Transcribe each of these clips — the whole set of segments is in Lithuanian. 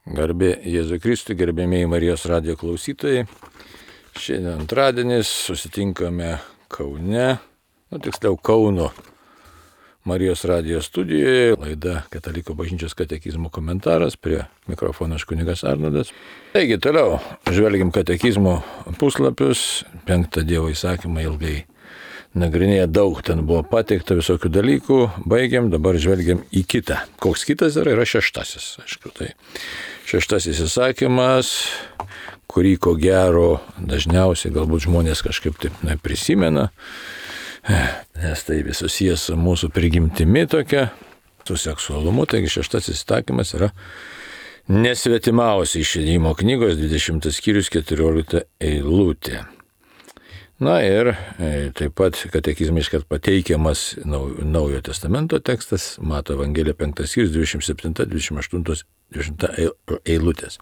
Garbė Jėzui Kristui, gerbėmėjai Marijos radijo klausytojai. Šiandien antradienis, susitinkame Kaune, tiksliau Kauno Marijos radijo studijoje. Laida Katalikų bažnyčios katekizmo komentaras, prie mikrofono kunigas Arnoldas. Taigi, toliau žvelgiam katekizmo puslapius, 5 Dievo įsakymą ilgai nagrinėja, daug ten buvo pateikta visokių dalykų, baigiam, dabar žvelgiam į kitą. Koks kitas yra 6. Aišku, tai 6 įsakymas, kurį ko gero dažniausiai galbūt žmonės kažkaip taip prisimena, nes tai vis susijęs su mūsų prigimtimi tokia, su seksualumu. Taigi 6 įsakymas yra nesvetimausi, Išėjimo knygos 20 skyrius 14 eilutė. Na ir taip pat katekizme iškart pateikiamas Naujojo testamento tekstas, Mato Evangelija 5 skyrius 27, 28, 20 eilutės.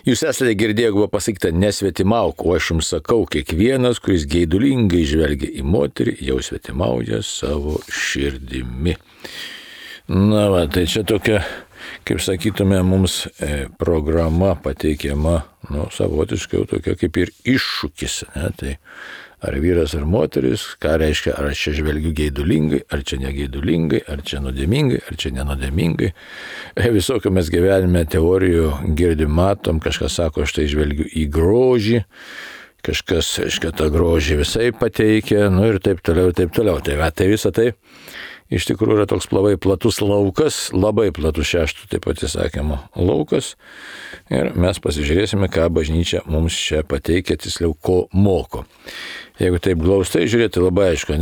Jūs esate girdėję, buvo pasakyta, nesvetimauk, o aš jums sakau, kiekvienas, kuris geidulingai žvelgia į moterį, jau svetimauja savo širdimi. Na va, tai čia tokia, kaip sakytume, mums programa pateikiama, savotiškai jau tokia kaip ir iššūkis. Ne? Tai ar vyras ar moteris, ką reiškia, ar aš čia žvelgiu geidulingai, ar čia negeidulingai, ar čia nuodėmingai, ar čia nenodėmingai. Visokio mes gyvenime teorijų girdim, matom, kažkas sako, aš tai žvelgiu į grožį, kažkas, aiškia, tą grožį visai pateikia, ir taip toliau, taip toliau. Tai visą tai iš tikrųjų yra toks labai platus laukas, labai platus 6 taip pat įsakymo laukas. Ir mes pasižiūrėsime, ką bažnyčia mums čia pateikia, tiksliau, ko moko. Jeigu taip glaustai žiūrėti, labai aišku,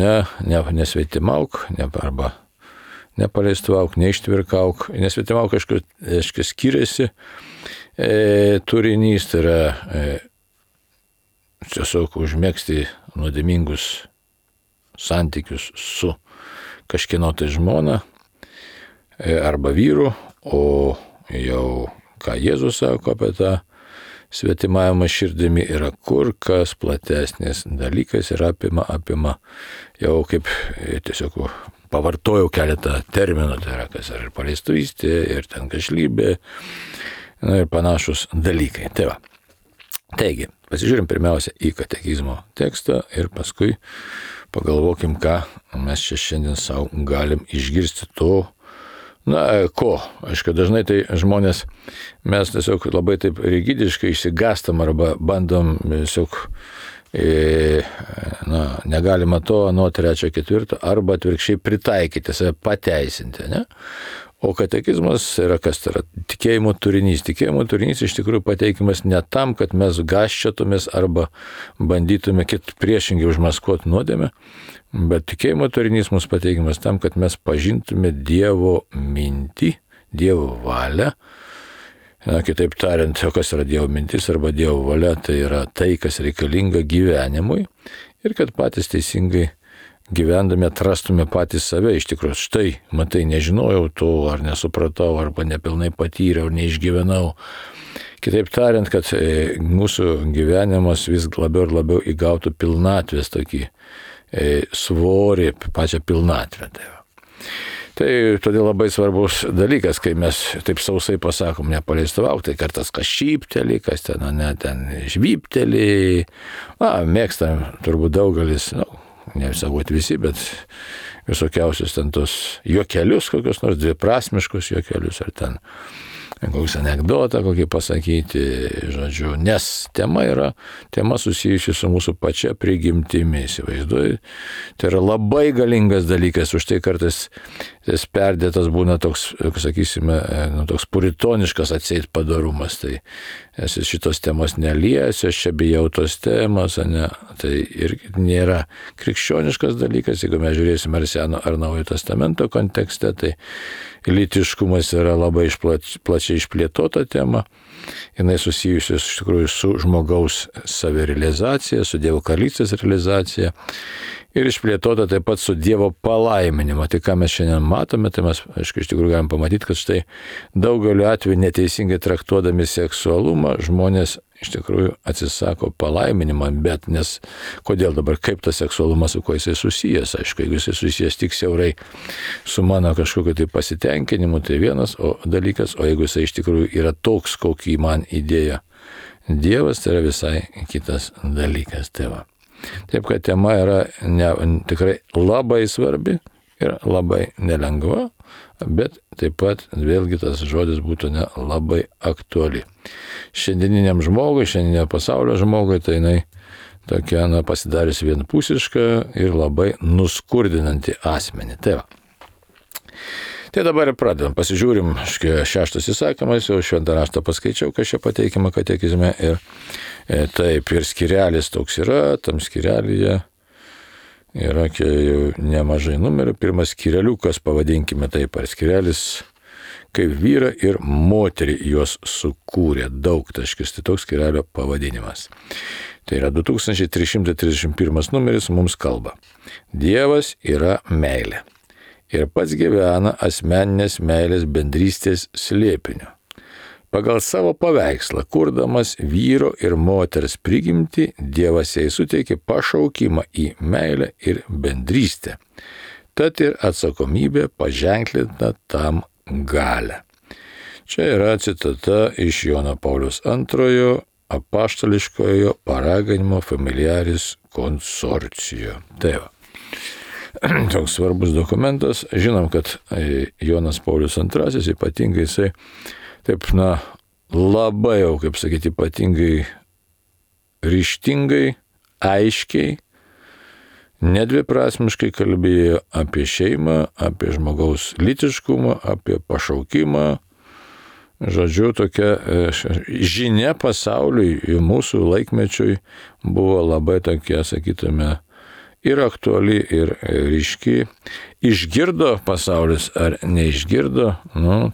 nesvetimauk, arba nepaleistuvauk, neištvirkauk. Nesvetimauk, aišku, skiriasi turinys, tai yra tiesiog užmėgsti nuodėmingus santykius su kažkieno tai žmona arba vyru, o jau ką Jėzus sako apie tą svetimavimą širdimi yra kur kas platesnis dalykas ir apima jau kaip tiesiog pavartojau keletą terminų, tai yra kas ir paleistuvystė, ir ten gašlybė, ir panašus dalykai. Tai va. Taigi, pasižiūrim pirmiausia į katekizmo tekstą ir paskui pagalvokim, ką mes čia šiandien savo galim išgirsti to, ko. Aišku, dažnai tai žmonės, mes tiesiog labai taip rigidiškai išsigastam arba bandom tiesiog, negalima to, nuo 3, 4, arba atvirkščiai pritaikyti, save pateisinti, ne? O katekizmas yra kas, tai yra tikėjimo turinys. Tikėjimo turinys iš tikrųjų pateikimas ne tam, kad mes gaščiotumės arba bandytume priešingai užmaskuoti nuodėmę, bet tikėjimo turinys mums pateikimas tam, kad mes pažintume Dievo mintį, Dievo valią. Kitaip tariant, kas yra Dievo mintis arba Dievo valia, tai yra tai, kas reikalinga gyvenimui, ir kad patys teisingai gyvendami atrastume patys save. Iš tikrųjų, štai, matai, nežinojau to, ar nesupratau, arba nepilnai patyriau, neišgyvenau. Kitaip tariant, kad mūsų gyvenimas vis labiau ir labiau įgautų pilnatvės tokį svorį, pačią pilnatvę. Tai todėl labai svarbus dalykas, kai mes taip sausai pasakom, nepaleistuvauk, tai kartas kas šypteli, kas ten žvypteli. Mėgstam turbūt daugelis, ne visavot visi, bet visokiausius ten tos juokelius, kokius nors dviprasmiškus juokelius, ar ten kokius anekdotą kokį pasakyti, žodžiu, nes tema susijusi su mūsų pačia prigimtimi, įsivaizduoju. Tai yra labai galingas dalykas, už tai kartais tas perdėtas būna toks, sakysime, toks puritoniškas atseit padorumas, tai esi šitos temos neliesiu, aš čia bijau tos temos, tai ir nėra krikščioniškas dalykas. Jeigu mes žiūrėsime ar Seno ar Naujojo testamento kontekste, tai lytiškumas yra labai plačiai išplėtota tema. Jinai susijusi iš tikrųjų su žmogaus savirealizacija, su Dievo karalystės realizacija ir išplėtota taip pat su Dievo palaiminimu. Tai ką mes šiandien matome, tai mes, aišku, iš tikrųjų galim pamatyti, kad štai daugeliu atveju neteisingai traktuodami seksualumą žmonės iš tikrųjų atsisako palaiminimą, bet nes kodėl dabar, kaip tas seksualumas, su kuo jisai susijęs, aišku, jeigu jisai susijęs tik siaurai su mano kažkokiu tai pasitenkinimu, tai vienas dalykas, o jeigu jisai iš tikrųjų yra toks, kokį man įdėjo Dievas, tai yra visai kitas dalykas. Tai va. Taip, kad tema yra tikrai labai svarbi ir labai nelengva, bet taip pat vėlgi tas žodis būtų labai aktuali. Šiandieniniam žmogui, šiandieninio pasaulio žmogui, tai jinai tokia pasidarius vienpusiška ir labai nuskurdinanti asmenį. Tai va. Tai dabar ir pradedam. Pasižiūrim, 6 įsakymas, jau šventą raštą paskaičiau, kas čia pateikiama katekizme. Ir taip, ir skirelis toks yra, tam skirelyje yra jau nemažai numerių. Pirmas skireliukas, pavadinkime taip, ar skirelis, kaip vyrą ir moterį juos sukūrė. Daugtaškis, tai toks skirelio pavadinimas. Tai yra 2331 numeris mums kalba. Dievas yra meilė. Ir pats gyvena asmeninės meilės bendrystės slėpiniu. Pagal savo paveikslą, kurdamas vyro ir moters prigimtį, Dievas jai suteikė pašaukimą į meilę ir bendrystę. Tad ir atsakomybė paženklinta tam galią. Čia yra citata iš Jono Pauliaus II apaštališkojo paraginimo Familiaris Consortio. Tai va. Toks svarbus dokumentas. Žinom, kad Jonas Paulius II ypatingai jisai taip, labai jau, kaip sakyti, ypatingai ryžtingai, aiškiai, nedviprasmiškai kalbėjo apie šeimą, apie žmogaus lytiškumą, apie pašaukimą. Žodžiu, tokia žinia pasauliui, mūsų laikmečiui buvo labai tokia, sakytume, ir aktuali, ir ryški. Išgirdo pasaulis ar neišgirdo,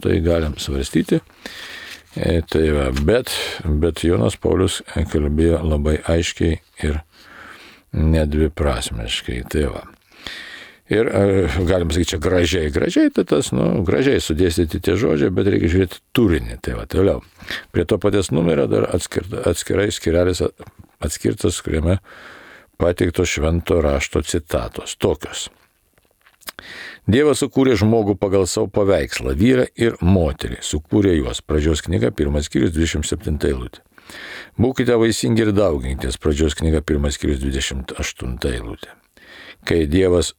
tai galim svarstyti. Tai va, bet Jonas Paulius kalbėjo labai aiškiai ir nedviprasmiškai. Tai va. Ir galim sakyti, čia gražiai, tai tas, gražiai sudėstyti tie žodžiai, bet reikia žiūrėti turinį. Tai va, toliau. Prie to paties numerio dar atskirai skirelis atskirtas, kuriame pateiktos švento rašto citatos. Tokios. Dievas sukūrė žmogų pagal savo paveikslą, vyrą ir moterį. Sukūrė juos. Pradžios knyga, 1 skyrius, 27 eilutė. Būkite vaisingi ir dauginkitės. Pradžios knyga, 1 skyrius, 28 eilutė. Kai Dievas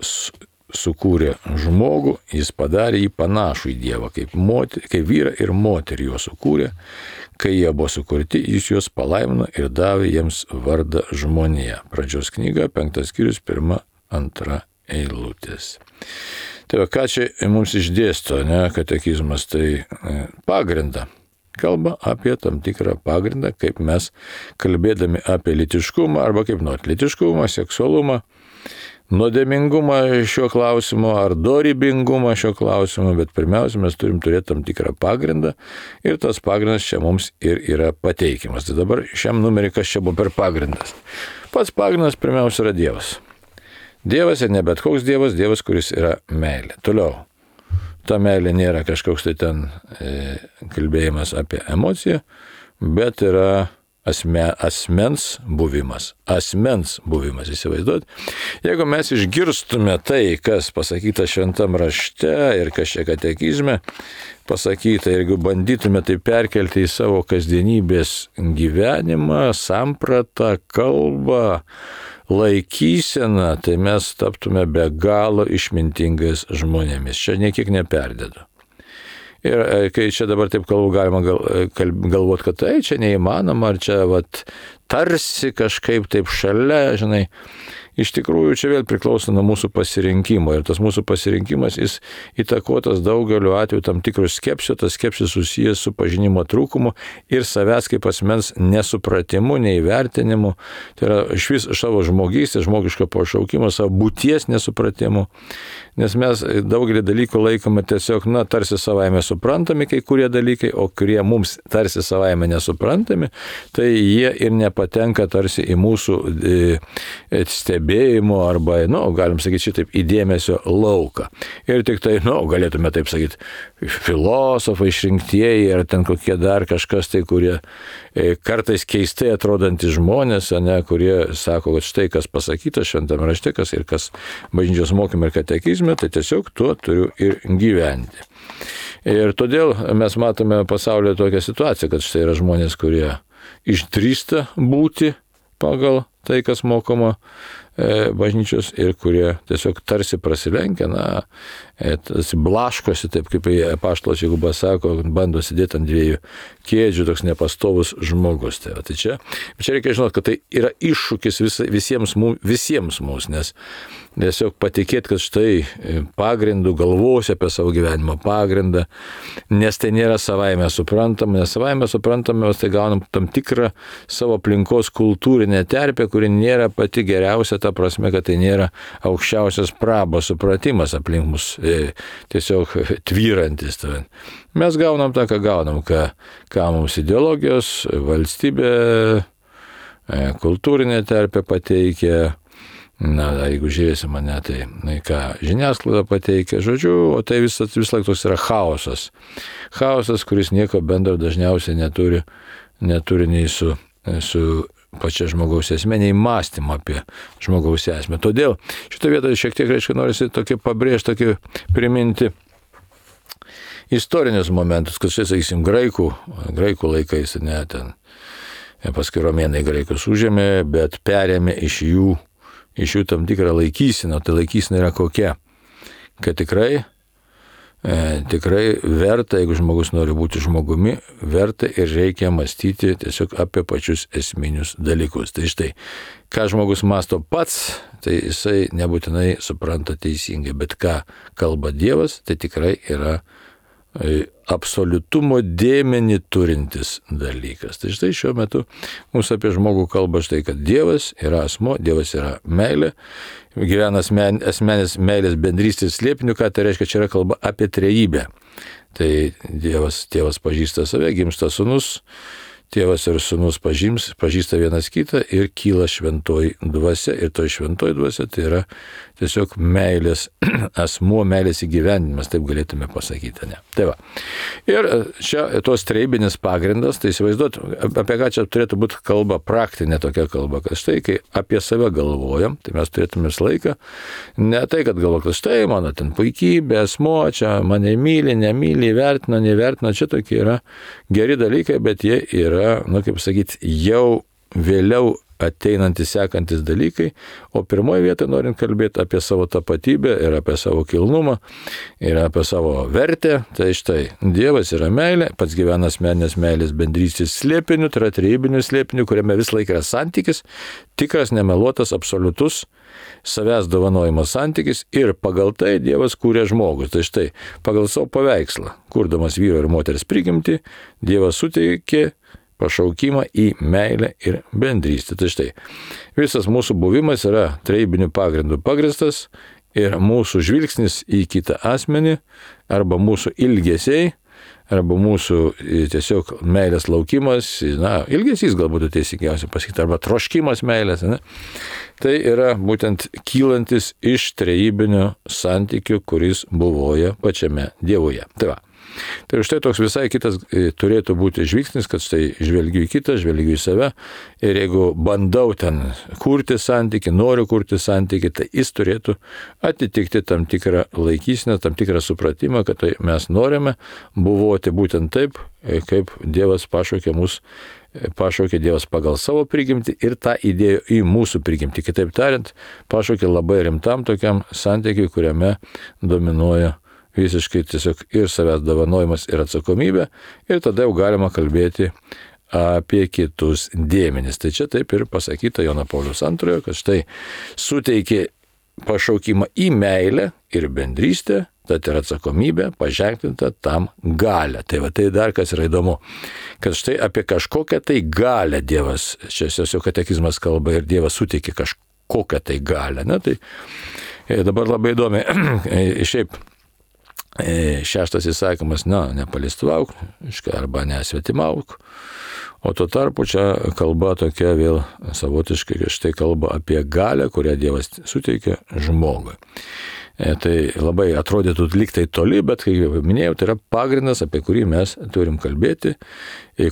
sukūrė žmogų, jis padarė jį panašų į Dievą, kaip vyrą ir moterį jo sukūrė. Kai jie buvo sukurti, jis juos palaimino ir davė jiems vardą žmonija. Pradžios knyga, 5 skyrius, 1-2 eilutės. Tai ką čia mums išdėsto, katekizmas, tai pagrindą. Kalba apie tam tikrą pagrindą, kaip mes kalbėdami apie lytiškumą arba kaip lytiškumą, seksualumą, nuodėmingumą šio klausimo ar dorybingumą šio klausimo, bet pirmiausia, mes turim turėti tam tikrą pagrindą ir tas pagrindas čia mums ir yra pateikimas. Tai dabar šiam numerį, kas čia buvo per pagrindas? Pats pagrindas pirmiausia yra Dievas. Dievas ir ne bet koks Dievas, Dievas, kuris yra meilė. Toliau, ta meilė nėra kažkoks tai ten kalbėjimas apie emociją, bet yra asmens buvimas, įsivaizduot. Jeigu mes išgirstume tai, kas pasakyta šventam rašte ir kas čia katekizme pasakyta, ir jeigu bandytume tai perkelti į savo kasdienybės gyvenimą, sampratą, kalbą, laikyseną, tai mes taptume be galo išmintingais žmonėmis. Čia niekiek neperdedu. Ir kai čia dabar taip kalbu, galima galvoti, kad tai čia neįmanoma, ar čia tarsi kažkaip taip šalia, žinai. Iš tikrųjų, čia vėl priklauso nuo mūsų pasirinkimo. Ir tas mūsų pasirinkimas, jis įtakotas daugeliu atveju tam tikrų skepsio, tas skepsis susijęs su pažinimo trūkumu ir savęs kaip asmens nesupratimu, neįvertinimu. Tai yra išvis savo žmogystės, žmogiško pašaukimo, savo būties nesupratimu. Nes mes daugelį dalykų laikome tiesiog, tarsi savaime suprantami kai kurie dalykai, o kurie mums tarsi savaime nesuprantami, tai jie ir nepatenka tarsi į mūsų stebėjimą, stebėjimo arba, galim sakyti šitaip, įdėmesio lauką. Ir tik tai, galėtume taip sakyti, filosofai išrinktieji ar ten kokie dar kažkas tai, kurie kartais keistai atrodantys žmonės, kurie sako, kad štai kas pasakyta šventame rašte, kas ir kas bažnyčios mokyme ir katekizme, tai tiesiog tuo turiu ir gyventi. Ir todėl mes matome pasaulyje tokią situaciją, kad štai yra žmonės, kurie išdrįsta būti pagal tai, kas mokoma bažnyčios ir kurie tiesiog tarsi prasilenkia, blaškosi, taip kaip apaštalas Jokūbas sako, bando sėdėti ant dviejų kėdžių, toks nepastovus žmogus. Tai čia reikia žinoti, kad tai yra iššūkis visiems mums, nes tiesiog patikėti, kad štai pagrindų galvosi apie savo gyvenimo pagrindą, nes tai nėra savaime suprantama, nes savaime suprantama, mes tai gaunam tam tikrą savo aplinkos kultūrinę terpę, kuri nėra pati geriausia, ta prasme, kad tai nėra aukščiausias prabos supratimas aplink mus tiesiog tvyrantis. Mes gaunam tą, ką gaunam, ką mums ideologijos, valstybė, kultūrinė terpė pateikia. Jeigu žiūrėsi mane, tai ką žiniasklaida pateikia, žodžiu, o tai vis laik toks yra chaosas. Chaosas, kuris nieko bendro dažniausiai neturi nei su pačia žmogaus esmė, nei mąstymą apie žmogaus esmę. Todėl šitą vietą šiek tiek, norisi tokį pabrėžti, tokį priminti istorinius momentus, kad štai, sakysim, graikų laikais, ten paskui romėnai graikus užėmė, bet perėmė iš jų tam tikrą laikyseną. Tai laikysena yra kokia? Kad tikrai verta, jeigu žmogus nori būti žmogumi, verta ir reikia mąstyti tiesiog apie pačius esminius dalykus. Tai štai, ką žmogus mąsto pats, tai jisai nebūtinai supranta teisingai, bet ką kalba Dievas, tai tikrai yra absoliutumo dėmenį turintis dalykas. Tai štai šiuo metu mūsų apie žmogų kalba štai, kad Dievas yra asmo, Dievas yra meilė, gyvena asmenės meilės bendrystės slėpiniu, ką tai reiškia, čia yra kalba apie trejybę. Tai Tėvas pažįsta save, gimsta sūnus, Tėvas ir sūnus pažįsta vienas kitą ir kyla šventoji dvasia. Ir to šventoji dvasia tai yra tiesiog meilės asmuo, meilės įgyvendinimas, taip galėtume pasakyti. Ne? Tai va. Ir čia tos trejybinis pagrindas, tai įsivaizduot, apie ką čia turėtų būti kalba, praktinė tokia kalba, kad štai, kai apie save galvojam, tai mes turėtume visą laiką, ne tai, kad galvojam, kad štai mano ten puikybė, asmuo, čia mane myli, nemyli, vertina, nevertina, čia tokie yra geri dalykai, bet jie yra, kaip sakyti, jau vėliau ateinantys, sekantis dalykai, o pirmoje vietoje norint kalbėti apie savo tapatybę ir apie savo kilnumą ir apie savo vertę, tai štai Dievas yra meilė, pats gyvena asmeninės meilės bendrystės slėpiniu, tai yra trejybiniu slėpiniu, kuriame vis laik yra santykis, tikras, nemeluotas, absoliutus savęs dovanojimo santykis ir pagal tai Dievas kūrė žmogus. Tai štai pagal savo paveikslą, kurdamas vyro ir moters prigimtį, Dievas suteikė pašaukimą į meilę ir bendrystę. Tai štai, visas mūsų buvimas yra trejybinių pagrindų pagristas ir mūsų žvilgsnis į kitą asmenį arba mūsų ilgesiai, arba mūsų tiesiog meilės laukimas, ilgesys galbūt teisingiausia pasakyti, arba troškimas meilės, tai yra būtent kylantis iš trejybinio santykių, kuris buvoja pačiame Dievuje. Tai va. Tai štai toks visai kitas turėtų būti žvilgsnis, kad štai žvelgiu į kitą, žvelgiu į save ir jeigu bandau ten kurti santykį, noriu kurti santykį, tai jis turėtų atitikti tam tikrą laikyseną, tam tikrą supratimą, kad tai mes norime buvoti būtent taip, kaip Dievas pašaukė Dievas pagal savo prigimtį ir tą įdėjo į mūsų prigimtį. Kitaip tariant, pašaukė labai rimtam tokiam santykiui, kuriame dominuoja visiškai tiesiog ir savęs dovanojimas ir atsakomybė, ir tada jau galima kalbėti apie kitus dėmenis. Tai čia taip ir pasakyta Jono Pauliaus II, kad štai suteikė pašaukimą į meilę ir bendrystę, tad ir atsakomybė paženklinta tam galę. Tai va tai dar kas yra įdomu, kad štai apie kažkokią tai galę Dievas, čia jau katekizmas kalba ir Dievas suteikė kažkokią tai galę. Tai dabar labai įdomi, šiaip šeštas įsakymas, nepalistuvauk, arba nesvetimauk, O tuo tarpu čia kalba tokia vėl savotiškai, štai kalba apie galią, kurią Dievas suteikia žmogui. Tai labai atrodytų liktai toli, bet kaip jau minėjau, tai yra pagrindas, apie kurį mes turim kalbėti,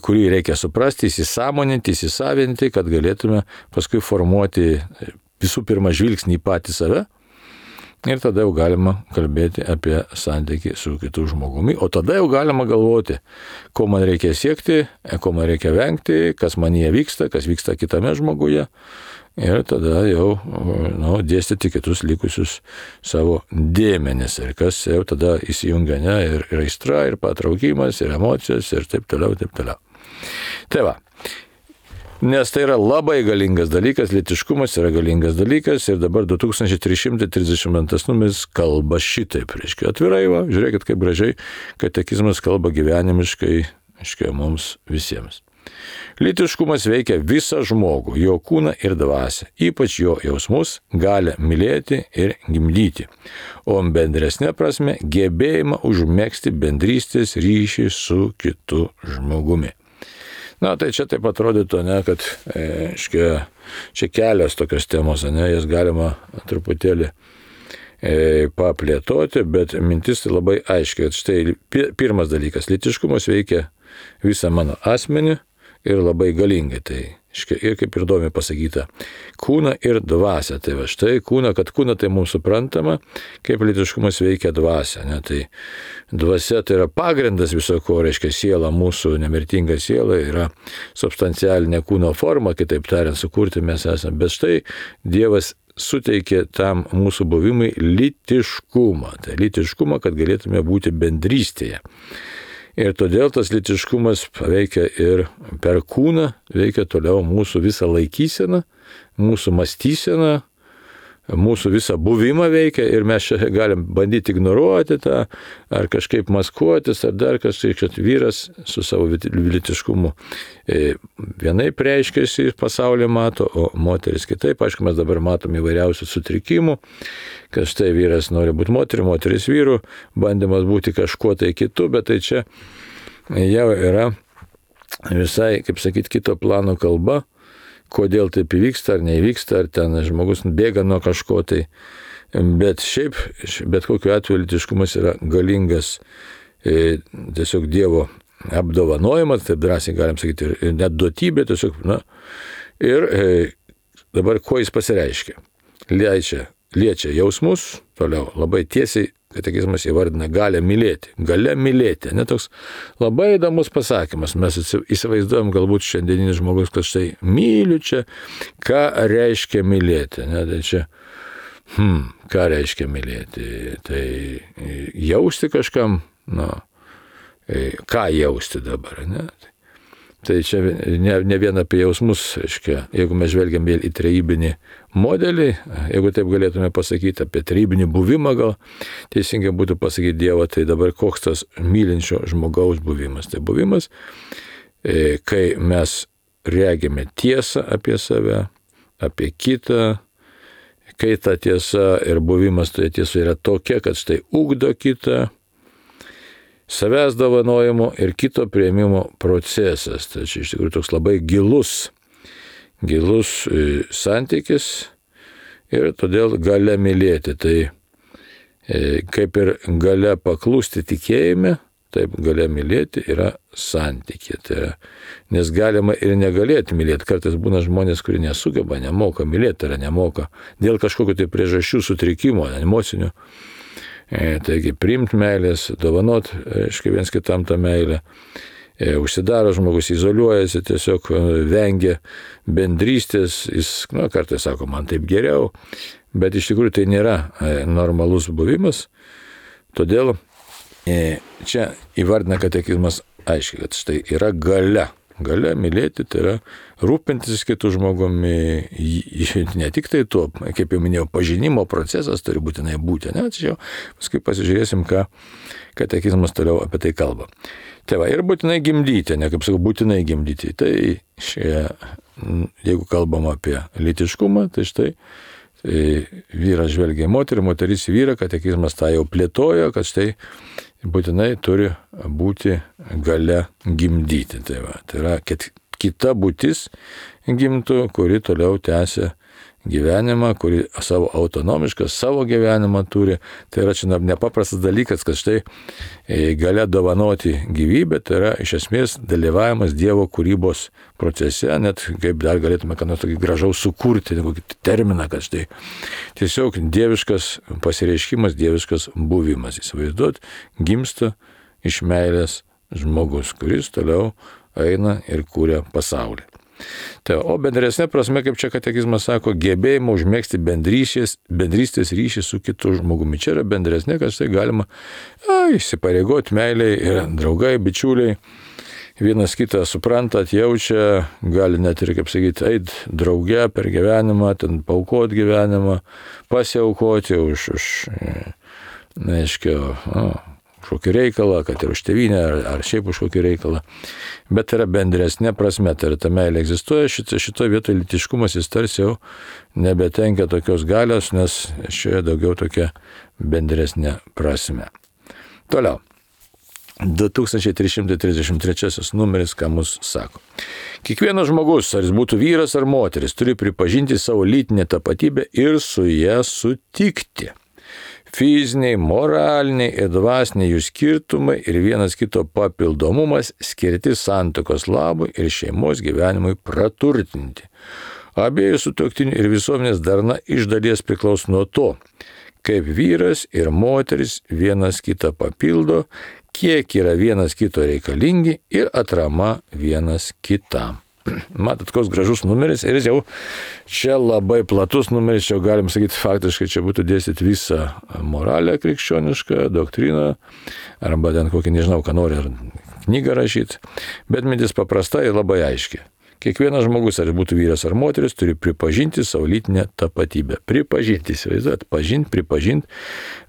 kurį reikia suprasti, įsisąmoninti, įsisavinti, kad galėtume paskui formuoti visų pirma žvilgsnį į patį save ir tada jau galima kalbėti apie santykį su kitu žmogumi, o tada jau galima galvoti, ko man reikia siekti, ko man reikia vengti, kas manyje vyksta, kas vyksta kitame žmoguje. Ir tada jau dėstyti kitus likusius savo dėmenis. Ir kas jau tada įsijungia, ne, ir aistra, ir patraukimas, ir emocijos, ir taip toliau, taip toliau. Tai va. Nes tai yra labai galingas dalykas, lytiškumas yra galingas dalykas ir dabar 2332 numeris kalba šitaip, reiškia atvirai, va, žiūrėkit kaip gražiai katekizmas kalba gyvenimiškai, reiškia mums visiems. Lytiškumas veikia visą žmogų, jo kūną ir dvasią, ypač jo jausmus, gali mylėti ir gimdyti, o bendresnė prasme gebėjimą užmegzti bendrystės ryšį su kitu žmogumi. Na, tai čia taip atrodytų, ne, kad čia kelios tokios temos, ne, jas galima truputėlį paplėtoti, bet mintis tai labai aiškiai, kad štai pirmas dalykas, lytiškumas veikia visą mano asmenį, ir labai galingai, tai ir kaip ir įdomiai pasakyta, kūną ir dvasią. Tai va štai kūną, kad kūną tai mums suprantama, kaip lytiškumas veikia dvasią. Ne? Tai dvasia tai yra pagrindas viso ko, reiškia siela, mūsų nemirtinga siela yra substancialinė kūno forma, kitaip tariant, sukurti mes esame. Bet štai Dievas suteikė tam mūsų buvimui lytiškumą. Tai lytiškumą, kad galėtume būti bendrystėje. Ir todėl tas lytiškumas veikia ir per kūną, veikia toliau mūsų visą laikyseną, mūsų mąstyseną, mūsų visą buvimą veikia ir mes čia galim bandyti ignoruoti tą, ar kažkaip maskuotis, ar dar kažkaip, kad vyras su savo lytiškumu vienaip reiškiasi pasaulį mato, o moteris kitaip. Aišku, mes dabar matom įvairiausių sutrikimų, kad štai vyras nori būti moteris vyru, bandymas būti kažkuo tai kitu, bet tai čia jau yra visai, kaip sakyti, kito plano kalba, kodėl taip įvyksta ar neįvyksta, ar ten žmogus bėga nuo kažko tai. Bet šiaip, bet kokiu atveju lytiškumas yra galingas tiesiog Dievo apdovanojimas, taip drąsiai galim sakyti, ir net duotybė tiesiog, na. Ir dabar ko jis pasireiškia? Liečia jausmus, toliau labai tiesiai katekizmas įvardina galia mylėti. Ne toks labai įdomus pasakymas. Mes įsivaizduojam galbūt šiandieninis žmogus, kad štai myliu čia, ką reiškia mylėti. Ne, tai čia, ką reiškia mylėti? Tai jausti kažkam, ką jausti dabar, ne? Tai čia ne vien apie jausmus, reiškia, jeigu mes žvelgiam į trejybinį modelį, jeigu taip galėtume pasakyti apie trejybinį buvimą, gal teisingai būtų pasakyti Dievo, tai dabar koks tas mylinčio žmogaus buvimas. Tai buvimas, kai mes regime tiesą apie save, apie kitą, kai ta tiesa ir buvimas toje tiesoje yra tokia, kad štai ugdo kitą, savęs dovanojimo ir kito priėmimo procesas. Tai čia iš tikrųjų toks labai gilus santykis ir todėl galia mylėti. Tai kaip ir galia paklusti tikėjime, taip galia mylėti yra santykė. Tai yra, nes galima ir negalėti mylėti. Kartais būna žmonės, kurie nesugeba, nemoka mylėti, ar nemoka dėl kažkokių tai priežasčių sutrikimo, emocinių. Taigi priimti meilės, dovanot, reiškia viens kitam tą meilę, užsidaro žmogus, izoliuojasi, tiesiog vengia bendrystės, jis, kartais sako, man taip geriau, bet iš tikrųjų tai nėra normalus buvimas, todėl čia įvardina katekizmas aiškiai, kad štai yra galia mylėti, tai yra rūpintis kitų žmogumi, ne tik tai tuo, kaip jau minėjau, pažinimo procesas turi būtinai būti, ne, tačiau paskui pasižiūrėsim, ką katekizmas toliau apie tai kalba. Tai va, ir būtinai gimdyti, ne kaip sakau, būtinai gimdyti. Tai jeigu kalbam apie lytiškumą, tai štai vyras žvelgia į moterį, moteris į vyrą, katekizmas tą jau plėtojo, kad štai būtinai turi būti galia gimdyti. Tai yra kita būtis gimtų, kuri toliau tęsia gyvenimą, kuri savo autonomišką, savo gyvenimą turi. Tai yra čia nepaprastas dalykas, kad štai galia dovanoti gyvybę, tai yra iš esmės dalyvavimas Dievo kūrybos procese, net kaip dar galėtume ką nors tokį gražaus sukurti, kokį terminą, kad štai tiesiog dieviškas pasireiškimas, dieviškas buvimas. Įsivaizduot, gimsta iš meilės žmogus, kuris toliau eina ir kūrė pasaulį. Tai, o bendresnė prasme, kaip čia katekizmas sako, gebėjimo užmėgsti bendrystės ryšį su kitu žmogumi. Čia yra bendresnė, kad štai galima įsipareigoti meiliai ir draugai, bičiuliai, vienas kitą supranta, atjaučia, gali net ir, kaip sakyti, eit drauge per gyvenimą, ten paaukoti gyvenimą, pasiaukoti už kokį reikalą, kad ir už tėvynę, ar šiaip už kokį reikalą. Bet yra bendresnė prasme, tai yra ta meilė egzistuoja, šitoje vietoje lytiškumas jis tarsi jau nebetenkia tokios galios, nes šioje daugiau tokia bendresnė prasme. Toliau. 2333 numeris, ką mus sako. Kiekvienas žmogus, ar jis būtų vyras ar moteris, turi pripažinti savo lytinę tapatybę ir su ją sutikti. Fiziniai, moraliniai ir dvasiniai jų skirtumai ir vienas kito papildomumas skirti santuokos labui ir šeimos gyvenimui praturtinti. Abiejų sutuoktinių ir visuomenės darna iš dalies priklauso nuo to, kaip vyras ir moteris vienas kitą papildo, kiek yra vienas kito reikalingi ir atrama vienas kitam. Matot, koks gražus numeris ir jau čia labai platus numeris, čia galim sakyti faktiškai, čia būtų dėstyti visą moralę krikščionišką, doktriną, arba ten kokį, nežinau, ką nori, ar knygą rašyti, bet mintis paprasta ir labai aiški. Kiekvienas žmogus, ar būtų vyras ar moteris, turi pripažinti savo lytinę tapatybę. Pripažinti, įsivaizduot, pripažinti.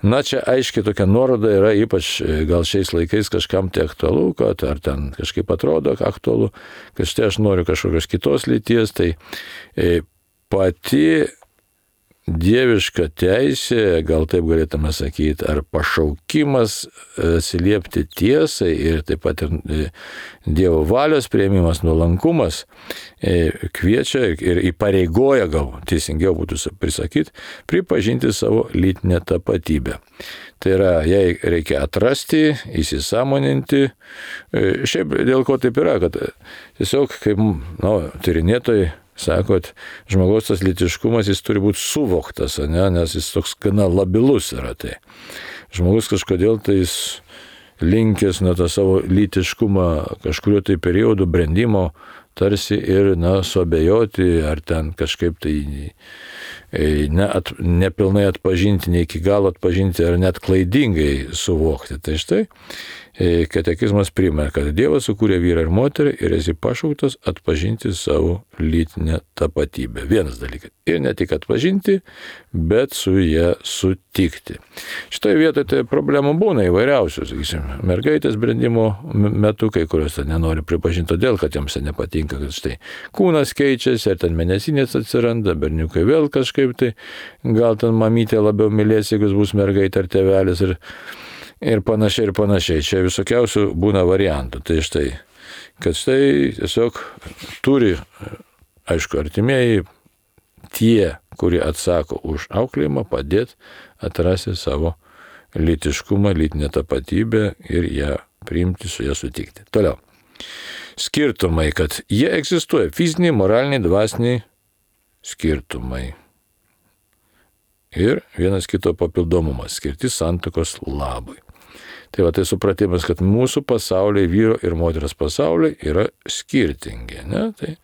Na, čia aiškiai tokia nuoroda yra, ypač gal šiais laikais kažkam tai aktualu, kad ar ten kažkaip atrodo aktualu, kad štai aš noriu kažkokios kitos lyties, tai pati dieviška teisė, gal taip galėtume sakyti, ar pašaukimas atsiliepti tiesai ir taip pat ir Dievo valios priėmimas, nuolankumas kviečia ir įpareigoja, gal teisingiau būtų prisakyti, pripažinti savo lytinę tapatybę. Tai yra, jai reikia atrasti, įsisąmoninti. Šiaip dėl ko taip yra, kad tiesiog kaip tyrinėtojai sakot, žmogaus tas lytiškumas, jis turi būti suvoktas, nes jis toks gana labilus yra. Tai žmogus kažkodėl tai jis linkęs nuo tą savo lytiškumą kažkurio tai periodo brendimo tarsi ir suabejoti, ar ten kažkaip tai nepilnai atpažinti, ne iki galo atpažinti, ar net klaidingai suvokti. Tai štai katekizmas primena, kad Dievas sukūrė vyrą ir moterį ir esi pašauktas atpažinti savo lytinę tapatybę. Vienas dalykas. Ir ne tik atpažinti, bet su ją sutikti. Šitoje vietoje tai problemų būna įvairiausių, sakysim, mergaitės brendimo metu, kai kurios ten nenori pripažinti todėl, kad jiems nepatinka, kad štai kūnas keičiasi, ar ten mėnesinės atsiranda, berniukai vėl kažkaip tai, gal ten mamytė labiau mylės, jeigu bus mergaitė ar tėvelis ir panašiai, ir panašiai. Čia visokiausių būna variantų. Tai štai, kad štai tiesiog turi, aišku, artimieji, tie, kurie atsako už auklėjimą, padėti atrasti savo lytiškumą, lytinę tapatybę ir ją priimti, su ją sutikti. Toliau. Skirtumai, kad jie egzistuoja. Fiziniai, moraliniai, dvasiniai skirtumai. Ir vienas kito papildomumas, skirti santuokos labui. Tai va, tai supratimas, kad mūsų pasauliai, vyro ir moters pasauliai yra skirtingi. Ne? Tai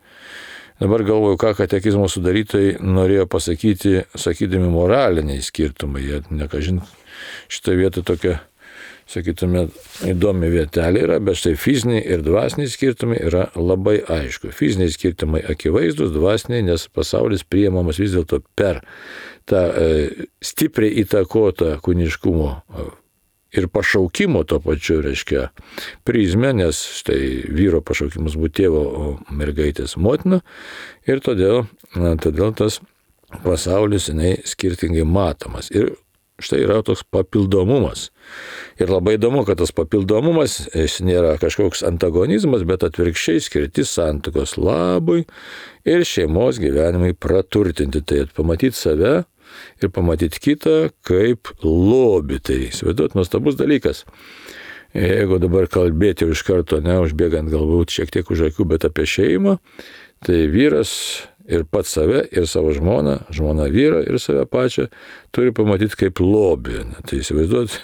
dabar galvoju, ką katekizmo sudarytojai norėjo pasakyti, sakydami moraliniai skirtumai. Jie nekažin šitoje vietoje tokia, sakytume, įdomi vietelė yra, bet štai fiziniai ir dvasiniai skirtumai yra labai aišku. Fiziniai skirtumai akivaizdus, dvasiniai, nes pasaulis priimamas vis dėlto per tą stipriai įtakotą kūniškumo ir pašaukimo to pačiu, reiškia, prizmę, nes štai vyro pašaukimas būti tėvo, o mergaitės motina, ir todėl tas pasaulis skirtingai matomas. Ir štai yra toks papildomumas. Ir labai įdomu, kad tas papildomumas jis nėra kažkoks antagonizmas, bet atvirkščiai skirti santuokos labui ir šeimos gyvenimui praturtinti. Tai pamatyti save ir pamatyti kitą kaip lobį. Tai įsivaizduot, nuostabus dalykas. Jeigu dabar kalbėti iš karto, užbėgant galbūt šiek tiek už akių, bet apie šeimą, tai vyras ir pats save, ir savo žmoną, žmona vyrą ir save pačią turi pamatyti kaip lobį. Tai įsivaizduot,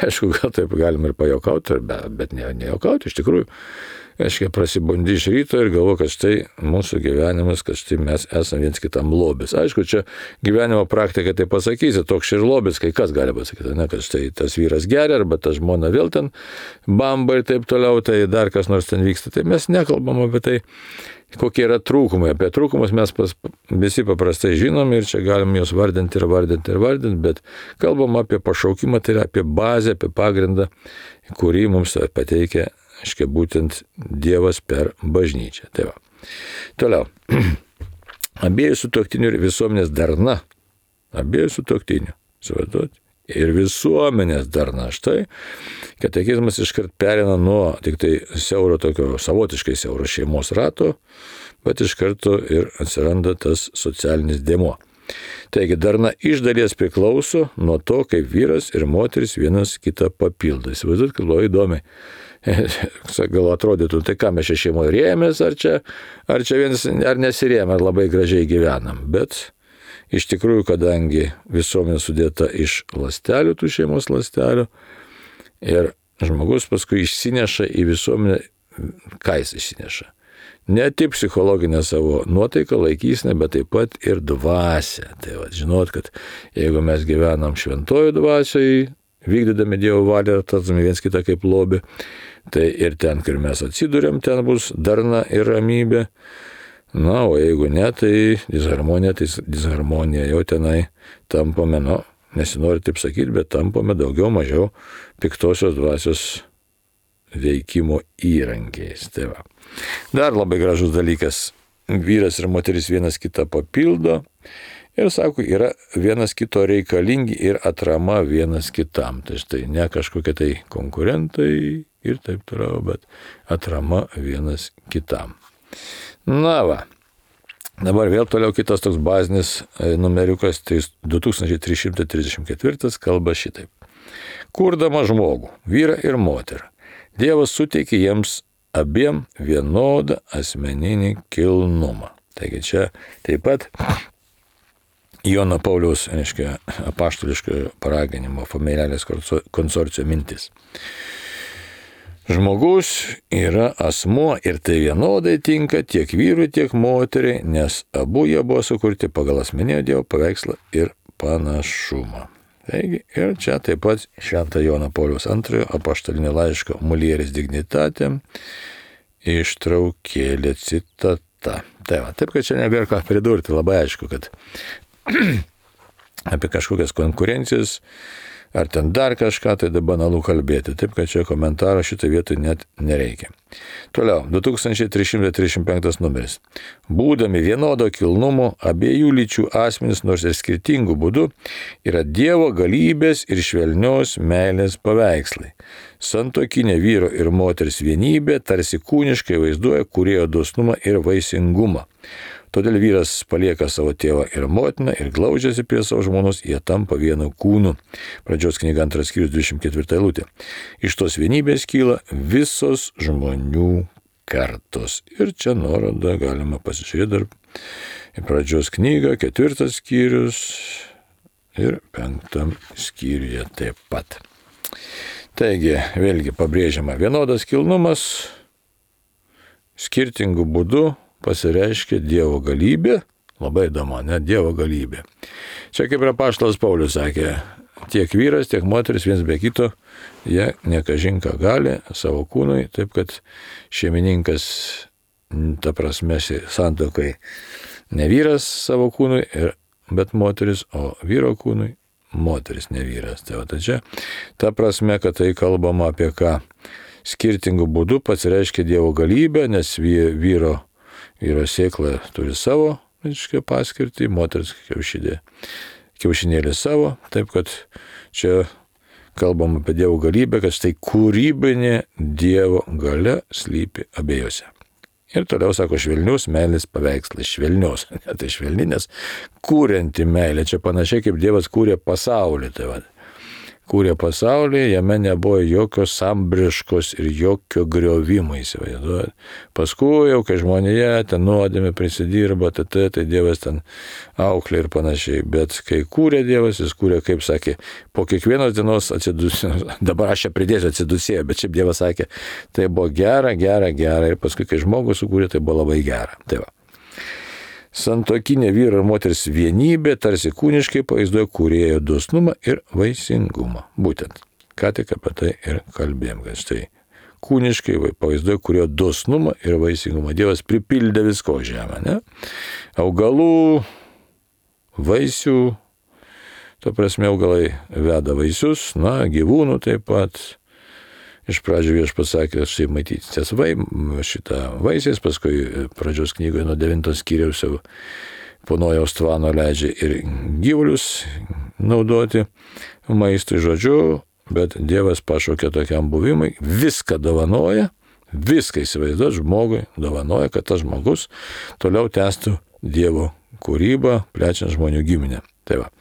aišku, gal taip galim ir pajokauti, bet nejokauti iš tikrųjų. Aiškiai, prasibundi iš ryto ir galvo, kad štai mūsų gyvenimas, kad štai mes esame viens kitam lobis. Aišku, čia gyvenimo praktika tai pasakysi, toks ir lobis, kai kas gali pasakyti, kad štai tas vyras geria, arba ta žmona vėl ten bamba ir taip toliau, tai dar kas nors ten vyksta. Tai mes nekalbam apie tai, kokie yra trūkumai. Apie trūkumus mes visi paprastai žinom ir čia galim juos vardinti, bet kalbam apie pašaukimą, tai yra apie bazę, apie pagrindą, kurį mums pateikia būtent Dievas per bažnyčią. Tai va. Toliau. Abiejų sutuoktinių ir visuomenės darna. Abiejų sutuoktinių. Suvaduoti. Ir visuomenės darna. Štai katekizmas iškart perina nuo tik tai siauro tokio, savotiškai siauro šeimos rato, bet iš karto ir atsiranda tas socialinis dėmuo. Taigi darna iš dalies priklauso nuo to, kaip vyras ir moteris vienas kitą papildo. Įsivaizduot, kad labai įdomiai. Gal atrodytų, tai ką mes čia šeimoje rėmės, ar čia vienas, ar nesirėmė, ar labai gražiai gyvenam. Bet iš tikrųjų, kadangi visuomenė sudėta iš ląstelių, tų šeimos ląstelių, ir žmogus paskui išsineša į visuomenę, ką jis išsineša. Ne tik psichologinę savo nuotaiką, laikysinę, bet taip pat ir dvasią. Tai va, žinot, kad jeigu mes gyvenam šventojų dvasiai, vykdydami Dievo valią, tartume viens kitą kaip lobį, tai ir ten, kur mes atsiduriam, ten bus darna ir ramybė. Na, o jeigu ne, tai disharmonija jau tenai tampame, nesinori taip sakyti, bet tampame daugiau mažiau piktosios dvasios veikimo įrankiais. Tai va. Dar labai gražus dalykas. Vyras ir moteris vienas kitą papildo ir, sako, yra vienas kito reikalingi ir atrama vienas kitam. Tai štai ne kažkokie tai konkurentai ir taip toliau, bet atrama vienas kitam. Na va. Dabar vėl toliau kitas toks bazinis numeriukas, tai 2334 kalba šitaip. Kurdama žmogų, vyrą ir moterį, Dievas suteikė jiems abiem vienodą asmeninį kilnumą. Taigi čia taip pat Jono Pauliaus, apaštališkojo paraginimo familiarės konsorcio mintis. Žmogus yra asmuo ir tai vienodai tinka tiek vyrui, tiek moteriai, nes abu jie buvo sukurti pagal asmeninio Dievo paveikslą ir panašumą. Taigi, ir čia taip pat Švento Jono Pauliaus II apaštalinio laiško Mulieris Dignitatem ištraukėlė citata. Tai va, taip, kad čia nebėra ką pridurti, labai aišku, kad apie kažkokias konkurencijas ar ten dar kažką, tai dabar banalu kalbėti. Taip, kad čia komentaro šitą vietą net nereikia. Toliau, 2335 numeris. Būdami vienodo kilnumo, abiejų lyčių asmenys, nors ir skirtingų būdų, yra Dievo galybės ir švelnios meilės paveikslai. Santuokinė vyro ir moters vienybė tarsi kūniškai vaizduoja kūrėjo dosnumą ir vaisingumą. Todėl vyras palieka savo tėvą ir motiną ir glaudžiasi prie savo žmonos, jie tampa vienu kūnu. Pradžios knyga 2 skyrius 24 eilutė. Iš tos vienybės kyla visos žmonių kartos. Ir čia nuorodą galima pasižiūrėti dar į pradžios knygą, 4 skyrius ir 5 skyriuje taip pat. Taigi, vėlgi pabrėžiama vienodas kilnumas, skirtingų būdų pasireiškia Dievo galybė, labai įdomu, Dievo galybė. Čia kaip ir apaštalas Paulius sakė, tiek vyras, tiek moteris viens be kito, jie nekažinką gali savo kūnui, taip kad šeimininkas, ta prasme, santuokai ne vyras savo kūnui, bet moteris, o vyro kūnui moteris, ne vyras. Tai va, čia ta prasme, kad tai kalbama apie ką skirtingų būdų pasireiškia Dievo galybė, nes vyro sėkla turi savo paskirtį, moters kiaušidė kiaušinėlį savo, taip kad čia kalbam apie Dievo galybę, kad štai kūrybinė Dievo galia slypi abiejose. Ir toliau sako švelnius meilės paveikslas, švelnios, tai švelninės, kūrenti meilė, čia panašiai kaip Dievas kūrė pasaulį, tai va. Kūrė pasaulį, jame nebuvo jokios sambriškos ir jokio griovimo, įsivaizduojat. Paskui jau, kai žmonėje ten nuodėmė prisidirba, tai Dievas ten auklė ir panašiai. Bet kai kūrė Dievas, jis kūrė, kaip sakė, po kiekvienos dienos atsidusėjo, dabar aš čia pridėsiu atsidusėjo, bet šiaip Dievas sakė, tai buvo gera, ir paskui, kai žmogus sukūrė, tai buvo labai gera. Tai va. Santuokinė vyro ir moters vienybė tarsi kūniškai pavaizduoja kūrėjo dosnumą ir vaisingumą. Būtent, ką tik apie tai ir kalbėjom, kad štai kūniškai pavaizduoja kūrėjo dosnumą ir vaisingumą. Dievas pripildė visko žemę, ne? Augalų, vaisių, to prasme augalai veda vaisius, gyvūnų taip pat. Iš pradžių viešpats sakė, štai matytės šitą vaisiais, paskui pradžios knygoje nuo 9 skyriaus jau po Nojaus tvano leidžia ir gyvulius naudoti maistui, žodžiu, bet Dievas pašaukė tokiam buvimui, viską dovanoja, viską įsivaizduot žmogui, dovanoja, kad tas žmogus toliau tęstų Dievo kūrybą, plečiant žmonių giminę. Tai va.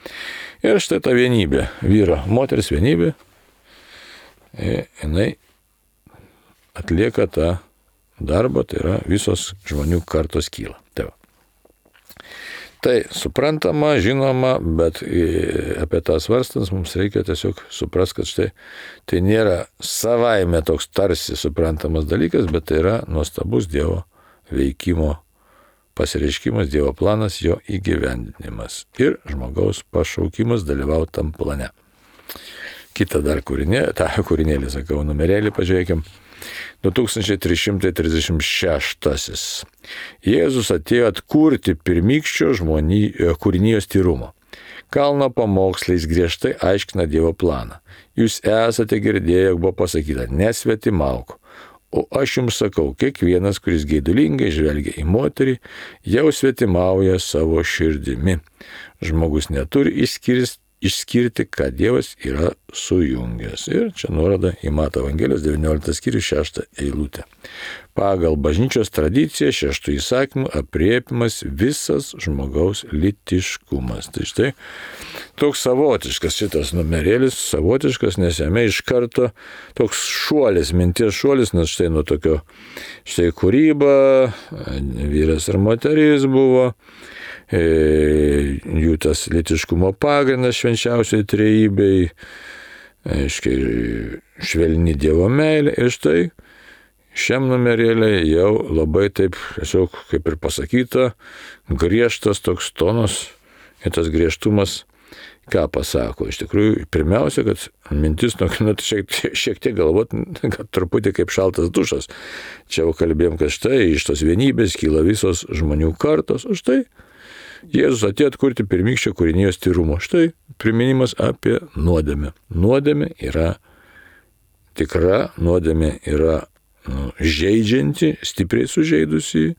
Ir štai ta vienybė, vyro, moters vienybė, jinai atlieka tą darbą, tai yra visos žmonių kartos kyla. Tai suprantama, žinoma, bet apie tą svarstant mums reikia tiesiog suprasti, kad štai tai nėra savaime toks tarsi suprantamas dalykas, bet tai yra nuostabus Dievo veikimo pasireiškimas, Dievo planas, jo įgyvendinimas ir žmogaus pašaukimas dalyvauti tam plane. Kita dar kūrinėlį, sakau, numerėlį, pažiūrėkim. 2336. Jėzus atėjo atkurti pirmykščio kūrinijos tyrumo. Kalno pamokslais griežtai aiškina Dievo planą. Jūs esate girdėję, jog buvo pasakyta, nesvetimauk. O aš jums sakau, kiekvienas, kuris geidulingai žvelgia į moterį, jau svetimauja savo širdimi. Žmogus neturi išskirti, ką Dievas yra sujungęs. Ir čia nuoroda į Mato Evangelijos 19 skyrius 6 eilutę. Pagal bažnyčios tradiciją 6 įsakymų aprėpimas visas žmogaus lytiškumas. Tai štai toks savotiškas šitas numerėlis, savotiškas, nes jame iš karto toks šuolis, minties šuolis, nes štai nuo tokio, štai kūryba, vyras ir moteris buvo, jų tas lytiškumo pagrindas švenčiausiai trejybei, švelni Dievo meilė. Ir štai šiam numerėlė jau labai taip, tiesiog kaip ir pasakyta, griežtas toks tonas ir tas griežtumas, ką pasako. Iš tikrųjų, pirmiausia, kad mintis, šiek tiek galvot, kad truputį kaip šaltas dušas. Čia jau kalbėjom, kad štai iš tos vienybės kyla visos žmonių kartos, o štai Jėzus atėjo atkurti pirmykščio kūrinijos tyrumo. Štai priminimas apie nuodėmę. Nuodėmė yra tikra, nuodėmė yra žeidžianti, stipriai sužeidusi.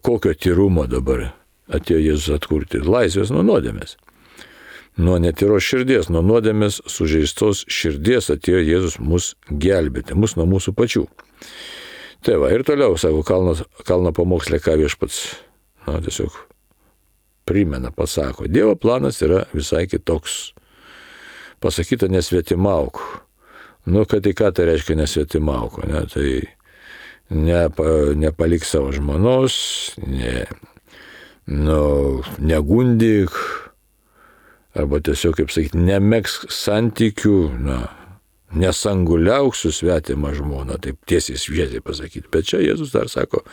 Kokio tyrumo dabar atėjo Jėzus atkurti? Laisvės nuo nuodėmės. Nuo netyros širdies, nuo nuodėmės sužeistos širdies atėjo Jėzus mus gelbėti, mus nuo mūsų pačių. Tai va, ir toliau, sako, kalno pamokslė, ką viešpats, tiesiog primena, pasako. Dievo planas yra visai kitoks. Pasakyta, nesvetimauk. Kad tai ką tai reiškia nesvetimauk, ne? Tai nepalik savo žmonos, negundyk, arba tiesiog, kaip sakyti, nemegzk santykių, nesanguliauk su svetima žmona, taip tiesiai šviesiai pasakyti. Bet čia Jėzus dar sako,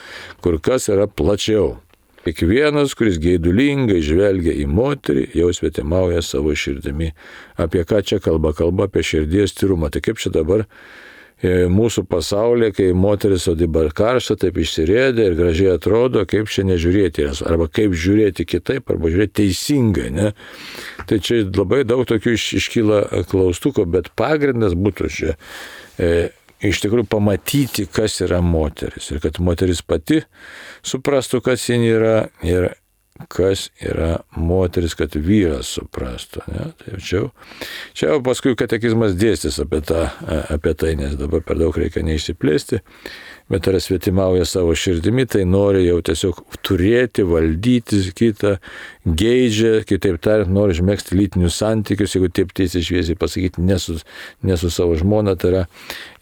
kur kas yra plačiau. Kiekvienas, kuris geidulingai žvelgia į moterį, jau svetimauja savo širdimi. Apie ką čia kalba? Kalba apie širdies tyrumą. Tai kaip čia dabar mūsų pasaulyje, kai moteris dabar karšta, taip išsirėdė ir gražiai atrodo, kaip čia nežiūrėti, arba kaip žiūrėti kitaip, arba žiūrėti teisingai, ne? Tai čia labai daug tokių iškyla klaustukų, bet pagrindas būtų čia iš tikrųjų pamatyti, kas yra moteris, ir kad moteris pati suprastų, kas jin yra, ir kas yra moteris, kad vyras suprastų. Ne? Tai čia jau paskui katekizmas dėstys apie tai, nes dabar per daug reikia neišsiplėsti, bet yra svetimauja savo širdimi, tai nori jau tiesiog turėti, valdyti kitą, geidžia, kitaip tariant, nori užmegzti lytinius santykius, jeigu taip tiesiai šviesiai pasakyti, ne su savo žmona, tai yra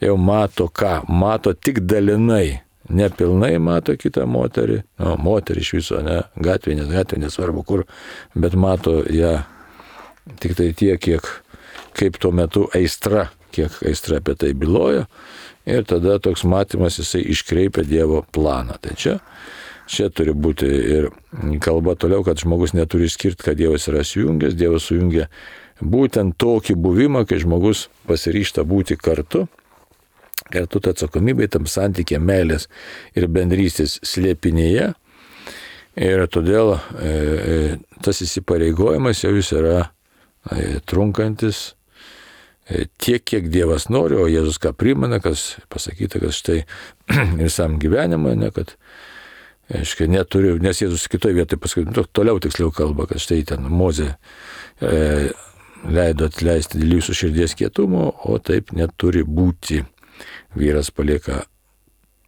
jau mato ką, mato tik dalinai. Nepilnai mato kitą moterį, moterį iš viso, ne, gatvė, nesvarbu kur, bet mato ją tik tai tiek, kaip tuo metu kiek aistra apie tai byloja, ir tada toks matymas jisai iškreipia Dievo planą. Tai čia turi būti ir kalba toliau, kad žmogus neturi išskirti, kad Dievas yra sujungęs, Dievas sujungia būtent tokį buvimą, kai žmogus pasiryžta būti kartu ta atsakomybė tam santykė meilės ir bendrystės slėpinėje. Ir todėl tas įsipareigojimas jau jis yra trunkantis tiek, kiek Dievas nori, o Jėzus ką primena, kas pasakyta, kad štai visam gyvenimą, ne, kad neturiu, nes Jėzus kitoje vietoje paskui, toliau tiksliau kalba, kad štai ten Mozė leido atleisti dėl jūsų širdies kietumo, o taip neturi būti. Vyras palieka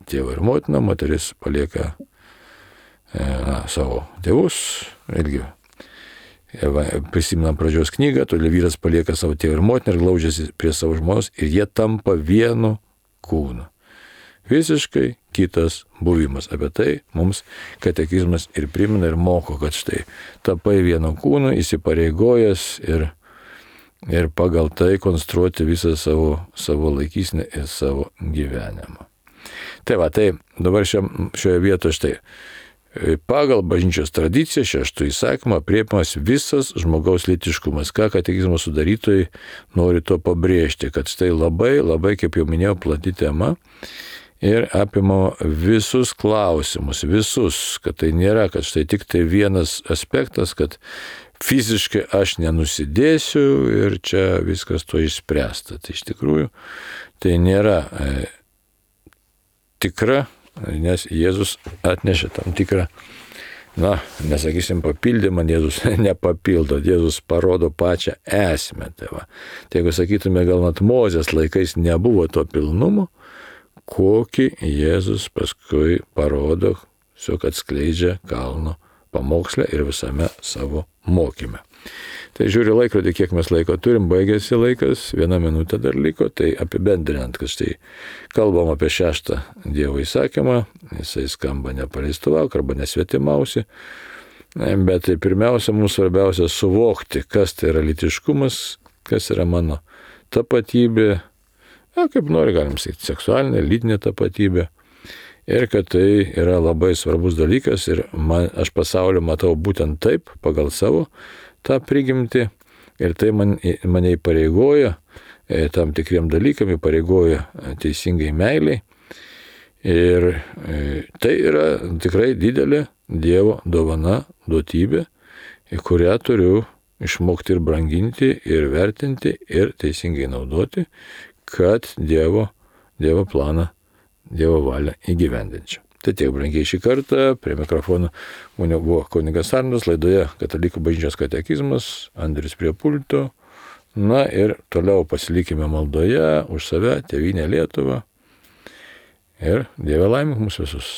tėvą ir motiną, moteris palieka savo tėvus, irgi prisimenam pradžios knygą, todėl vyras palieka savo tėvą ir motiną ir glaudžiasi prie savo žmonos ir jie tampa vienu kūnu. Visiškai kitas buvimas. Apie tai mums katekizmas ir primena ir moko, kad štai tapai vienu kūnu, įsipareigojęs ir pagal tai konstruoti visą savo laikysenę ir savo gyvenimą. Tai dabar šioje vietoje štai. Pagal bažnyčios tradiciją 6 įsakymą aprėpiamas visas žmogaus lytiškumas. Ką katekizmo sudarytojai nori to pabrėžti, kad štai labai, kaip jau minėjau, plati tema ir apima visus klausimus, kad tai nėra, kad štai tik tai vienas aspektas, kad fiziškai aš nenusidėsiu ir čia viskas to išspręsta. Tai iš tikrųjų tai nėra tikra, nes Jėzus atnešė tam tikrą, nesakysim papildymą, Jėzus nepapildo, Jėzus parodo pačią esmę. Tai jeigu sakytume, gal net Mozės laikais nebuvo to pilnumo, kokį Jėzus paskui parodo, tiesiog atskleidžia kalno pamoksle ir visame savo mokyme. Tai žiūriu laikrodį, kiek mes laiko turim, baigėsi laikas, 1 minutė dar liko, tai apibendrinant, kad štai kalbam apie 6 Dievo įsakymą, jisai skamba nepaleistuvauk arba nesvetimausi, bet tai pirmiausia, mums svarbiausia suvokti, kas tai yra lytiškumas, kas yra mano tapatybė, kaip nori, galim sakyti, seksualinė, lytinė tapatybė. Ir kad tai yra labai svarbus dalykas ir aš pasaulį matau būtent taip, pagal savo tą prigimtį. Ir tai mane įpareigoja tam tikriem dalykam, įpareigoja teisingai meiliai. Ir tai yra tikrai didelė Dievo dovana, duotybė, kurią turiu išmokti ir branginti, ir vertinti, ir teisingai naudoti, kad Dievo planą, Dievo valią įgyvendinčiau. Tai tiek, brangiai, šį kartą. Prie mikrofono buvo kunigas Arnas, laidoje Katalikų bažnyčios katekizmas, Andrius prie pulto. Ir toliau pasilikime maldoje už save, tėvynę Lietuvą. Ir Dieve laimink mus visus.